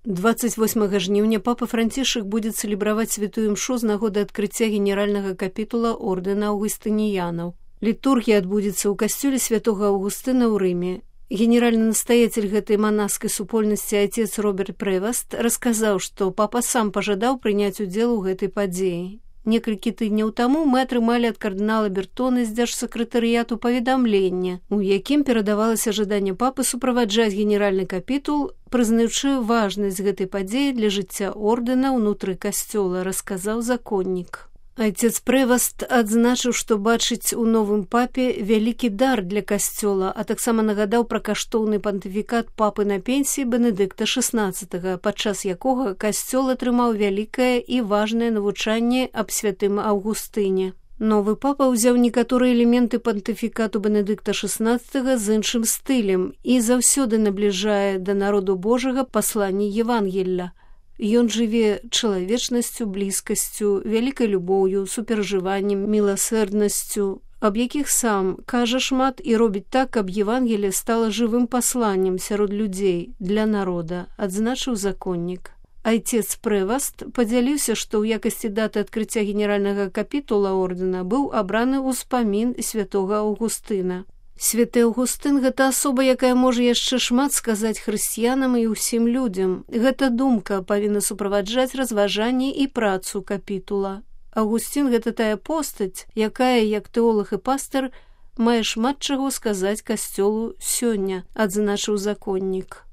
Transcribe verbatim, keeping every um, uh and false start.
двадцать восьмага жніўня папа Францішак будзе цэлебраваць святую імшу з нагоды адкрыцця генеральнага капітула ордэна аўгустыніянаў. Літургія адбудзецца ў касцёле святога Аўгустына ў Рыме. Генеральны настаяцель гэтай манаскай супольнасці отец Роберт Прэваст расказаў, што папа сам пажадаў прыняць удзел у гэтай падзеі. Некалькі тыдняў таму мы атрымалі ад кардынала Бертона з дзяржсакратарыяту паведамленне, у якім перадавалася жаданне папы суправаджаць генеральны капітул, прызнаючы важнасць гэтай падзеі для жыцця ордэна ўнутры касцёла, расказаў законнік. Отец Прэваст адзначыў, што бачыць у новым папе вялікі дар для касцёла, а таксама нагадаў пра каштоўны пантыфікат папы на пенсіі Бенедыкта шаснаццатага, падчас якога касцёл атрымаў вялікае і важнае навучанне аб святым Аўгустыне. Новы папа ўзяў некаторыя элементы пантыфікату Бенедыкта шаснаццатага з іншым стылем і заўсёды набліжае да народу Божага пасланне Евангелля. Ён жыве чалавечнасцю, блізкасцю, вялікай любоўю, суперажываннем, міласэрднасцю, аб якіх сам кажа шмат і робіць так, каб Евангелие стала жывым пасланнем сярод людзей, для народа, адзначыў законнік. Отец Прэваст падзяліўся, што ў якасці даты адкрыцця генеральнага капітула ордэна быў абраны ўспамін святога Аўгустына. Святы Аўгустын – гэта асоба, якая можа яшчэ шмат сказаць хрысціянам і ўсім людзям. Гэта думка павінна суправаджаць разважанне і працу капітула. Аўгусцін – гэта тая постаць, якая, як тэолаг і пастар, мае шмат чаго сказаць касцёлу сёння, адзначыў законнік.